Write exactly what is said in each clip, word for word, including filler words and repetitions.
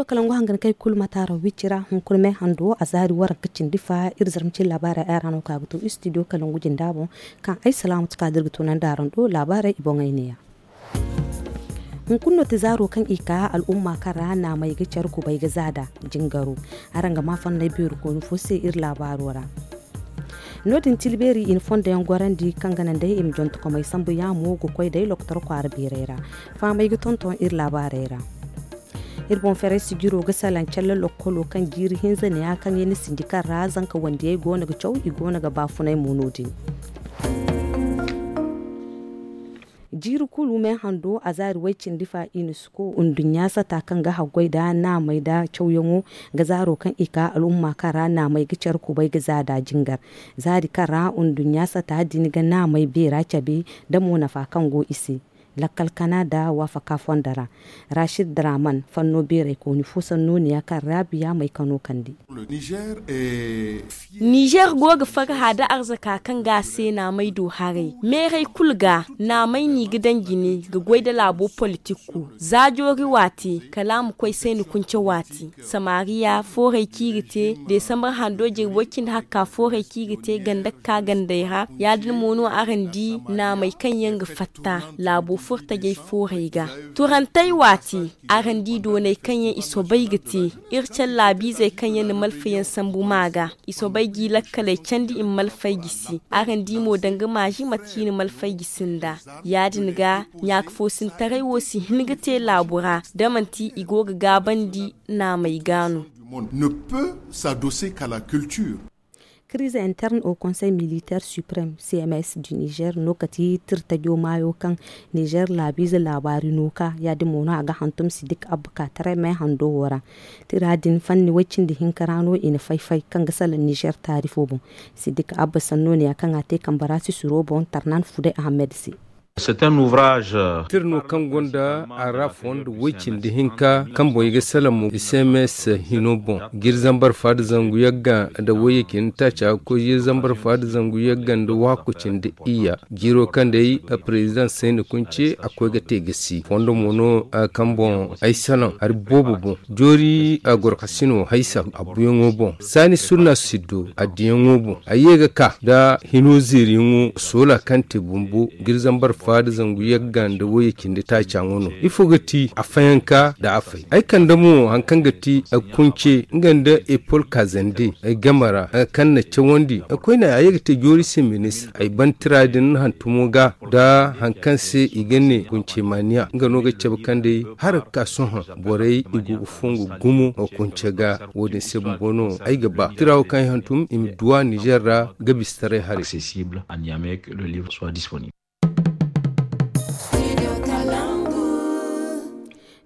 Kalangu hangan kay kulu mataaro wicci ra hunkuna me hando a zaari waranka cindi fa iri zarma cin laabaarey ay ra no ka ga to istidiyo kalangu jinda boŋ. Kaŋ ay salaamatu ka da iri ga tunandi araŋ do laabaarey i boŋey neeya. Hunkuna no ti zaaro kaŋ i ka al'umma kaŋ ra naamey ga care kubay ga zaada jingaro. Araŋ ga ma fanney beeri kooni fo se iri laabaaro ra. No- din tilbeeri i na fondo yaŋ gorandi kaŋ ga naŋ day i ma jontokomey sambu yaamo ga koy day lokotor kwaara beerey ra. Fahamey ga tonton iri laabaarey ra. Iri boŋ ferey sijiro ga salaŋ calla lokkolo kaŋ jiiri hinza neeya kaŋ i na sinji kaŋ ra zanka wandiyey go no ga caw i go no ga baafunay mo no- din. Jiiri kulu me hando a zaari way cindi fa i na suko nduɲɲa sata kaŋ ga haggoy nda naamey nda cawyaŋo ga zaaro kaŋ i ka al'umma kaŋ ra naamey ga care kubay ga za da jingar. Zaari kaŋ ra nduɲɲa sata din ga naamey beera cabe nda mo nafa kaŋ go i se. Lakkal kana nda waafaka fondo ra. Rashid draman fanno beerey kooni fo sanno neeya kaŋ raabiya may kano kande. Nizer go ga farha da arzaka kaŋ ga a se naamey do haray meerey kulu ga naamey no i ga daŋ jine ga goy nda laabo politikku. Za joori waati kala a ma koy sayni kunce waati samariya foorey kaŋ i ga te desambar hando jirbi way cindi hakka foorey kaŋ i ga te ganda ga ka gandey ra. Ya- din mo no araŋ di naamey kaŋ yaŋ ga fatta laabo furtajey foorey ga. Turantey waati araŋ di dooney kaŋ yaŋ i soobay ga te iri care laabiizey kaŋ yaŋ na malfayaŋ sambu ma ga. I soobay g'i lakkaley candi i ma malfay gisi. Araŋ di mo danga maazi mate kaŋ i na malfay gisi nda ya- din ga ɲaakafoosintaray wo si hin ga te laabu ra da manti i go ga gaabandi naamey ga no. Ne peut s'adosser qu'à la culture. Crise interne au conseil militaire suprême cms du niger no kati tirtajo maayo kaŋ niger laabiize laabaari no ka ya- din mo no a ga hantum sidik abba ka taray may hando wo ra. Tira din fanni way cindi hinka ra no i na fay-fay kaŋ ga salaŋ niger taarifo boŋ. Sidik abba sanno neeya kaŋ a te kambe ra sisiro boŋ tarnan fuday ahmed se. Tir no kaŋ gonda a ra fondo way cindi hinka kaŋ boŋ i ga salaŋ mo cms hino boŋ. Jiri zambar fa da zangu yagga nda wayye cindi taaci a ga koy jiri zambar fa da zangu yagga nda waako cindi iyya. Jiiro kaŋ day president sayni kunce a koy ga te gasi fondo mo no kaŋ boŋ ay salaŋ hari boobo boŋ. Joori gorkasino haysa a buyaŋo boŋ saani surna siddo a diyaŋo boŋ a ye ga ka nda hino zeeriyaŋo soola kaŋ te bumbo. Jiri zambar fa da zangu yagga nda wayye cindi taaca ŋo no ifo ga ti a fayanka nda a fay ay kande mo hari kaŋ ga ti kunce nga nda epol kaazande ay game ra kaŋ na cawandi koyne a ye ga te joori se ministre ay ban tira din hantumo ga nda hari kaŋ se i ga ne kunce maaniya nga no ga cabe kaŋ day hala ga ka sohõ borey i go ga fongu gumo kunce ga. Wo- din se bumbo no ay ga ba tira wo kaŋ ay hantum i ma duw'a nizer ra ga bisitaray haray.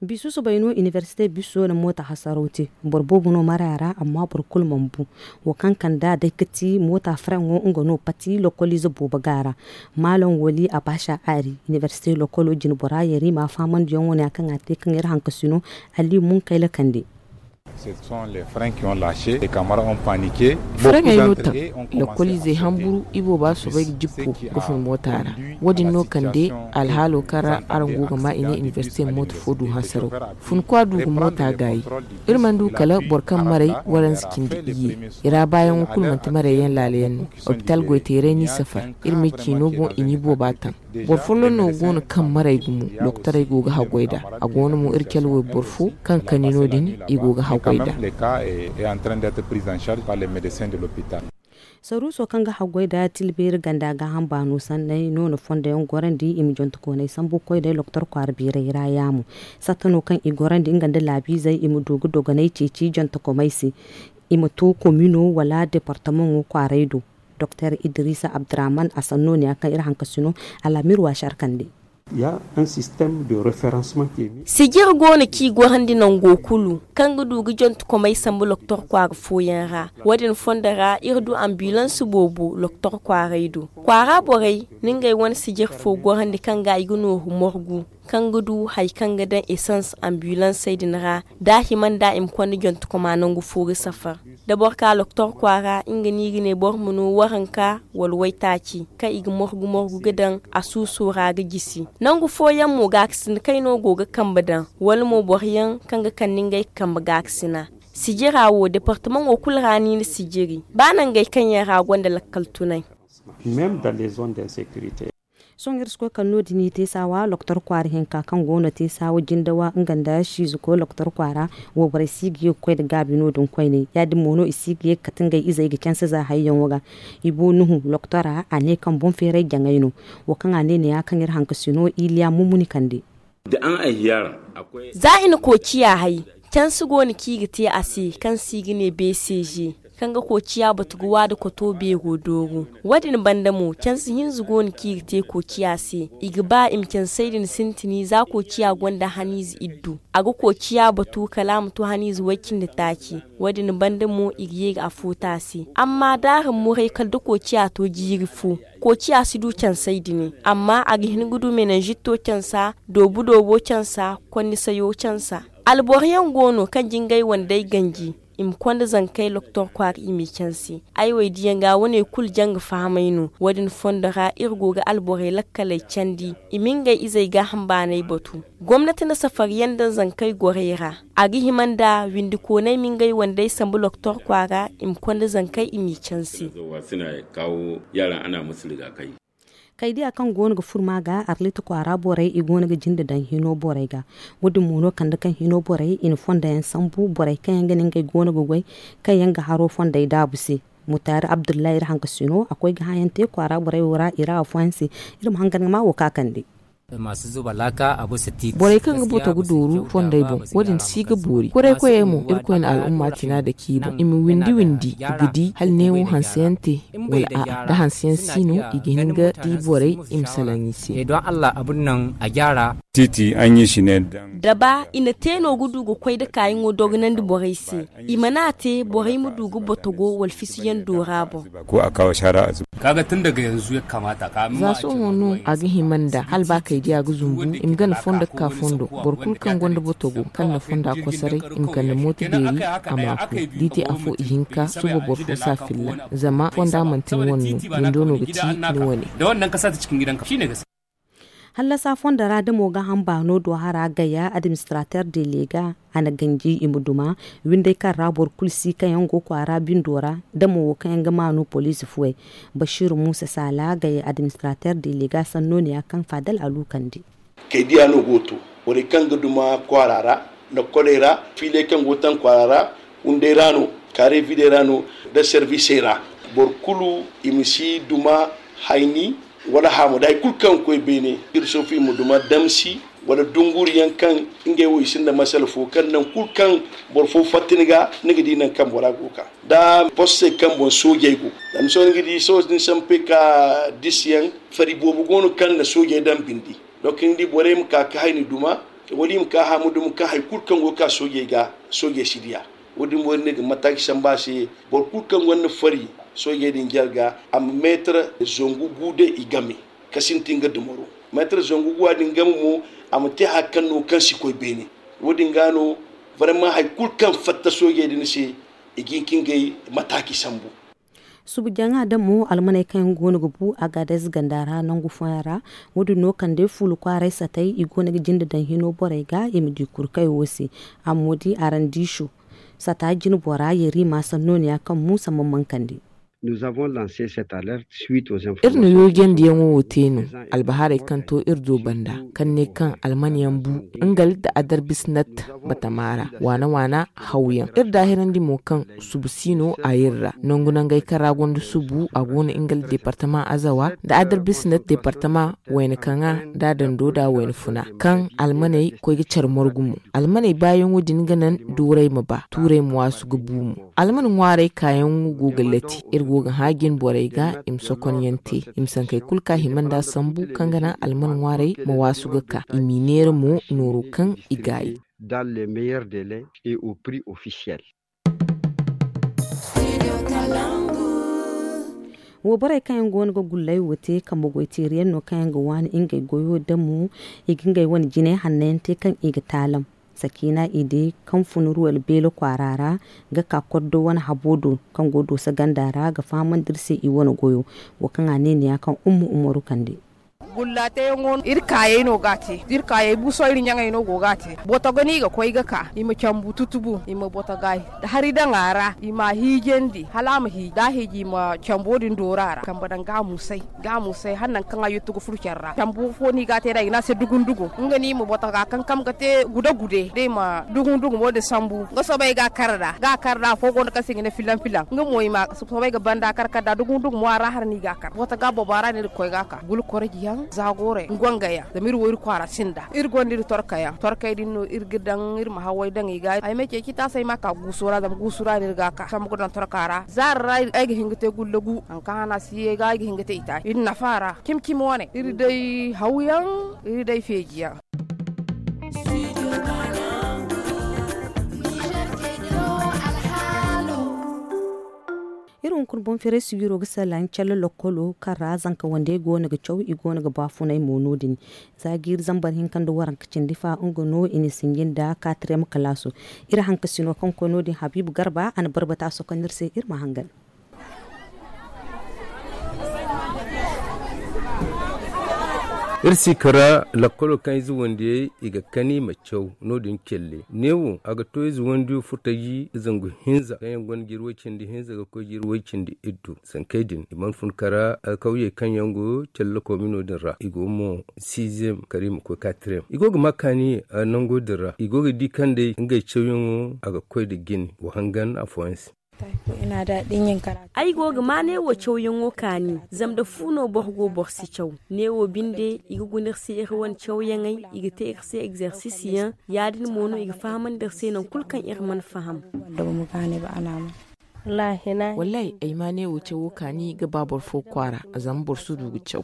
Bisu soobay no iniversite biso na moota hasaraw te. Boro boobo no maraya ra amma boro kulu mana bu. Wo kaŋ kand'a day ga ti moota faraŋo nga no pati lokoliize boobo ga a ra. Maalaŋ wali a baasa aari iniversite lokolo jinbora yari ma faamandiyaŋo ne ya kaŋ a te kaŋ iri hankasino. Alli munkayla kande. Faraŋey no taŋ. Lakkoliizey hamburu ibooba soobay ga jippo ga fun moota ra. Wo- din no kande alhaalo kaŋ ra araŋ go ga ma i ne iniversite moota fo du hansaraw. Funkwa du ga moota gaayi. Iri mana du kala boro kaŋ maray waranza cindi iyye. I ra baayaŋo kulu manti marayyaŋ laalayaŋ no. Opital goyteeray n'i safar. Iri me ciino boŋ i n'i booba taŋ. Boro folloŋ no go no kaŋ maray gumo. Doktorey go ga haggoy nd'a. A go no mo iri cale wayboro fo kaŋ kani no- din i go ga haggoy nd'a. Saruuso kaŋ ga haggoy nd'a tilbeeri ganda gaaham baano sanney no na fondo yaŋ gorandi i ma jontokooney sambu ga koy day doktor kwaara beerey ra yaamo. Satta no kaŋ i gorandi nga nda laabiizey i ma du ga dogonay ceeci jontokomey se. I ma to komino wala departamaŋo kwaaray do. Doktor idrisa abdurahman a sanno ne ya kaŋ iri hankasino. Alamir waasar kande. Sijir go no kaŋ i gorandi nango kulu kaŋ ga du ga jantukomey sambu loktor kwaara fooyaŋ ra. Wo- din fondo ra iri du ambilans boobo loktor kwaaray do. Kwaara borey na ngey wane sijir fo gorandi kaŋ ga i ga nooru morgu kaŋ ga du hari kaŋ ga daŋ esans ambilansey din ra. Da a hima nda i ma konda jantukoma nangu fo ga safar. Da boro ka loktor kwaara nga no i ga ne boro ma no waranka wala waytaaci kaŋ i ga morgu morgu ga daŋ a suuso ra ga jisi. Nangu fooyaŋ mo gaakasina kayno go ga kambe daŋ, wala mo boroyaŋ kaŋ ga kande ngey kambe gaakasina. Sijira wo departamaŋo kulu ra no i na sijiri ba nangey kaŋ yaŋ ra gonda lakkal tunay. Sohõ iri si koy kala no- din i te saawa loktor kwaara hinka kaŋ go no te saawa jindawa nga nda siizuko loktor kwaara. Wayborey si ga ye ga koy nda gaabi no- din koyne. Ya- din mo no i si ga ye ga kate ngey izey ga canse za hayyaŋo ga. Ibo nuhu loktora a ne kaŋ boŋ feeray jaŋay no. Wo kaŋ a ne ne ya kaŋ iri hankasino iliya mummuni kande. Za i na koociya hay, canse go no kaŋ i ga te a se kaŋ se i ga ne bcg, kaŋ ga koociya batu ga waada koto beero dooru. Wo- din banda mo canse hinza go no kaŋ i ga te koociya se. I ga ba i ma cansey din sintini za koociya gonda haniize iddu, a ga koociya batu kala a ma to haniize way-cindi taaci. Wo- din banda mo i ga ye ga afo te a se. Amma da a ra muray kala da koociya to jiiri fo, koociya si du cansey dine, amma a ga hin ga du menanzito cansa, doobu doobo cansa, konnisayo cansa. Alboro yaŋ go no kaŋ jingay wandey ganji, i ma konda zankey loktor kwaara i m'i canse. Ay wo ay diyaŋ ga wane kulu janga fahamay no. Wo- din fondo ra iri go ga alborey lakkaley candi, i ma ngey izey gaaham baanay batu. Gomnati na safariyaŋ daŋ zankey gorey ra. A ga hima nda windikooney ma ngey wandey sambu loktor kwaara, i ma konda zankey i m'i canse. Kaydiya kaŋ go no ga furma ga arlit kwaara borey i go no ga jinde daŋ hino borey ga. Wo- din mo no kande kaŋ hino borey i na fondo yaŋ sambu borey kaŋ yaŋ ga ne ngey go no ga goy, kaŋ yaŋ ga haro fondey daabu se. Mutaari abdullahi iri hankasino a koy ga hãayaŋ te kwaara borey wo ra i ra afooyaŋ se. Iri ma hangan ga ma wo ka kande. Borey kaŋ ga boto ga dooru fondey boŋ, wo- din si ga boori. Koray koyey mo, irkoy na al'umma tina da k'i boŋ i ma windi windi i ga di hala neewo hanseyaŋ te, wala a'a da hanseyaŋ si no, i ga hin ga di borey i ma salaŋ i se. Da ba i na te no ga du ga koy da kaayaŋo dogonandi borey se, i mana te borey ma du ga botogo wala fisiyaŋ doora boŋ. Za sohõ no a ga hima nda hala ba kaydiya ga zumbu i ma gana fondo ga ka fondo. Boro kulu kaŋ gonda botogo kaŋ na fonda kosoray, i ma kande mooto beeri a ma a koy da i te afo i hinka suba boro fo si a filla. Zama fonda manti ni wane no, windo no ga ti ni wane. Hallasa fondo ra damo ga hamba no do hara gaya administrateur de lega a na ganji i ma duma. Windey kaŋ ra boro kulu si kaŋ yaŋ go kwaara bindo ra, damo wo kaŋ yaŋ ga maanu poliisi fuwey. Basiiru muusa saala gaya administrateur de lega sanno ne ya kaŋ faadal a lukandi. Kay diya no go to, borey kaŋ ga duma kwaara ra, lokkoley ra, fiiley kaŋ go taŋ kwaara ra, windey ra no, kaare videy ra no, da servisey ra. Boro kulu i ma si duma hayni wala haamu da hari kulu kaŋ ga koy beene. Iri soofu i ma duma damsi wala dunguriyaŋ kaŋ ngey wo i sinda masala fo kaŋ nangu kulu kaŋ boro fo fatta ni ga, ni ga di nangu kaŋ bora go ga ka da postey kaŋ boŋ soojey go. Zama sohõ ni ga di sohõ din sampe ka disiyaŋ, fari boobo go no kaŋ na soojey daŋ bindi. Donc ni di borey ma ka ga hayni duma wala i ma ka haamu duma kaŋ hari kulu kaŋ go ga ka soojey ga, soojey si diya. Wo- din mo iri ne ga mataaci sambu a se, boro kulu kaŋ gonda fari soojey din jarga a ma meetar zangu gu day i game, ka sintin ga dumaro. Meetar zangu gu a din game mo, a ma te hari kaŋ no kaŋ si koy beene. Wo- din ga no, vraiment hari kulu kaŋ fatta soojey din se, i ga hin ka ngey mataaci sambu. Subu jaŋa damo almaney kaŋ yaŋ go no ga bu agadez ganda ra nangu fooyaŋ ra. Wo- din no kande fuula kwaaray satay i go no ga jinde daŋ hino borey ga i ma di kurkayo wo se. Amma wo- din araŋ di sho sata jine bora yerima sanno ne ya kaŋ muusa mamman kande. Iri na yoojandiyaŋo wo te no albahaarey kaŋ to iri do banda, kaŋ ne kaŋ alman yaŋ bu nga nda adarbisnat batama ra waana waana hawyaŋ. Iri daahirandi mo kaŋ subu si no a iri ra nangu nangey kaŋ ra gonda subu a go no nga nda deepartama azawa nda adarbisnat deepartama wayna kaŋa nda dando nda wayna funa kaŋ almaney koy ga care morgu mo. Almaney baayaŋo din ga naŋ duuray ma ba tuuray ma waasu ga bu mo. Alman ŋwaaray kaayaŋo go ga lati iri go ga hã jine borey ga i ma sokonyaŋ te i ma sankey kulu kaŋ a hima nd'a sambu kaŋ ga naŋ alman ŋwaaray ma waasu ga ka i m'i neera mo nooro kaŋ i gaayi. Dans les meilleurs délais et au prix officiel. Wayborey kaŋ yaŋ go no ga gulley wo te kambe goy teeriyaŋ no kaŋ yaŋ ga waani ngey goyo damo i ga ngey wane jinay hanno yaŋ te kaŋ i ga taalam. Sakiina i di kaŋ fun ruwel beelo kwaara ra ga ka koddo wane habo do kaŋ go dooso ganda ra ga fahamandi iri se i wane goyo. Wo kaŋ a ne ni ya kaŋ umma umaru kande. Gulla teyaŋo iri kaayey no ga a te da iri kaayey buuso iri ɲaŋey no go ga a te. Boto ga no i ga koy ga ka i ma cambu tutubu i ma boto ga hari daŋ a ra i ma a hiijandi hala a ma hiiji da a hiiji i ma cambo din doora a ra kambe daŋ ga a musay ga a musay hala nangu kaŋ a yuttu ga furo care ra cambu fo no i ga a te nd'a i ga ne a se dugundugo nga no i ma boto ga kankam ga te gude gude da i ma dugundugo mo din sambu nga soobay ga a kar nd'a ga a kar nd'a afo go no kaŋ se i ga ne filaŋ filaŋ nga mo i ma soobay ga banda kar kar nd'a dugundugo mo a ra hari no i ga a kar boto ga bobo a ra no iri ga koy ga a ka gulkorji yaŋ zaagoorey ngwangey yaŋ zama iri wo iri kwaara sinda iri gonda iri torka yaŋ torkey din no iri ga daŋ iri ma haway daŋ i ga ay ma ceeci taasay ma a ka guuso ra zama guuso ra no iri ga a ka sambu ga daŋ torka ra zaari ra ay ga hin ga te gullagu nangu kaŋ hana si ye ga ay ga hin ga te itaaci iri nafa ra cimi cimi wane iri day hawyaŋ iri day feeji yaŋ. Iri hunkuna boŋ feeray sijiro ga salaŋ calle lokkolo kaŋ ra zanka wandey go no ga caw i go no ga baafunay mo no- din. Za jiiri zambar hinka nda waranka cindi fa nga no i na sinji nda katriyam kalaaso. Iri hankasino kaŋ koy no- din habiibu garba a na barbata sokonda iri se iri ma hangan. Iri si kara lakkolo kaŋ ize wandiyey i ga kani ma caw no- din celle neewo a ga to ize wandiyo furtaji zangu hinza kaŋ yaŋ gonda jiiri way cindi hinza ga koy jiiri way cindi iddu sankey din i mana fun kara alkawyey kaŋ yaŋ go celle komino din ra i go mo siizem kara i ma koy katriyam i go ga ma kaani nango din ra i go ga di kaŋ day ngey cawyaŋo a ga koy nda jine wa hangan afooyaŋ se. Ay go ga ma neewo cawyaŋo kaani zama nda fu no boro go boro si caw. Neewo binde i ga guna iri se iri wane cawyaŋey i ga te iri se egzersisi yaŋ. Ya- din mo no i ga fahamandi iri se nangu kulu kaŋ iri mana faham. Wallaahi ay ma neewo cawo kaani ga ba boro fo kwaara zama boro si du ga caw.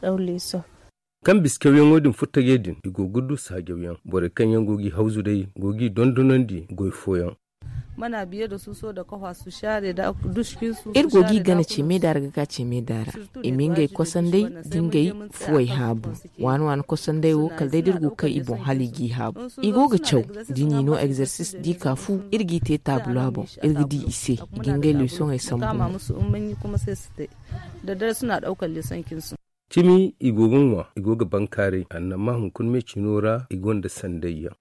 Kaŋ bisa cawyaŋo din furtajey din i go ga du saajawyaŋ borey kaŋ yaŋ go g'i hawzu day go g'i dondonandi goy fooyaŋ. Iri go g'i gana ceemey da ra ga ka ceemey da ra i ma ngey kosandey da ngey fuwey haabu. Waani waani kosandey wo kala day da iri go ga kay i boŋ hala i g'i haabu. I go ga caw da i n'i no egzersis da i ka fu iri g'i te taabula boŋ iri ga di i se i ga ngey leesoŋey sambu. Cimi i go ga ŋwa i go ga bankaaray annama hunkuna me cino ra i gonda sandayyaŋ.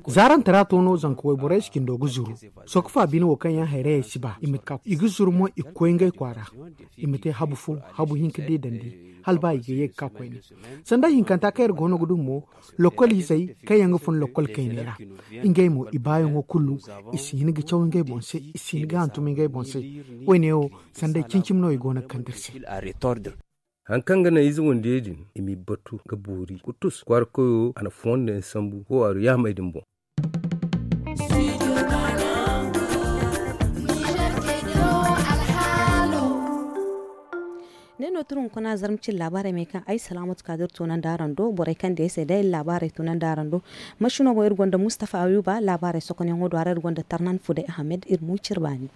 Zaarante ra to no zanka wayborey si cindo ga zuru. Sokofa bine wo kaŋ yaŋ hayrayey si ba i ma ka i ga zuru mo i ga koy ngey kwaara. I ma te habu fo habu hinka di dandi hala ba i ga ye ga ka koyne. Sanda hinkanta kaŋ iri go no ga du mo lokol izey kaŋ yaŋ ga fun lokol kayney ra. Ngey mo i baayaŋo kulu i si hin ga caw ngey boŋ se i si hin ga hantum ngey boŋ se. Woyne wo sanday cimi cimi no i go no ga kande iri se. Hari kaŋ ga naŋ ize wandiyey din i m'i batu ga boori ga tus kwaara koyo a na fondo yaŋ sambu fo waaru yaamey din boŋ. Ne no turu hunkuna zarma cine laabaarey me kaŋ ay salaamatu kaadir toonandi araŋ do borey kaŋ day se day laabaarey toonandi araŋ do. Masino boŋ iri gonda mustafa ayuba laabaarey sokonyaŋo do ara iri gonda tarnan fuday ahmed iri mo cire baani.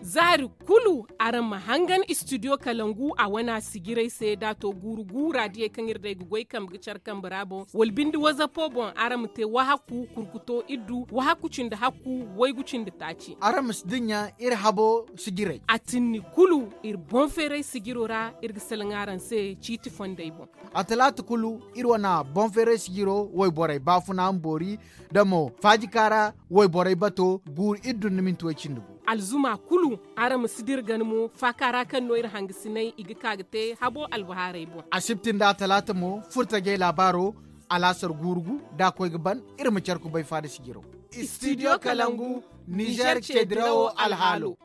Zaari kulu araŋ ma hangan istidiyo kalangu a wane a sijirey se da a to guuru guura diyey kaŋ iri day ga goy kambe ga care kambe ra boŋ wala binde wazapo boŋ araŋ ma te wahakku kurkuto iddu wahakku cindi hakku waygu cindi taaci. Araŋ ma si dinya iri habo sijirey a tinni kulu iri boŋ feeray sijiro ra iri ga salaŋ araŋ se ciiti fondey boŋ. A talaata kulu iri wane boŋ feeray sijiro wayborey baafuna ma boori da mo faajika ra wayborey bato guuru iri dunduminti way cindi gu. Alzuma kulu araŋ ma si dira gana mo faaka ra kaŋ no iri hangasinay i ga ka ga te habo albahaarey boŋ. Asibti nda atalaata mo furtajey laabaaro alaasar guuru gu da a koy ga ban iri ma care kubay faada sijiro. Istidiyo kalangu nizer ceedirawo alhaalo.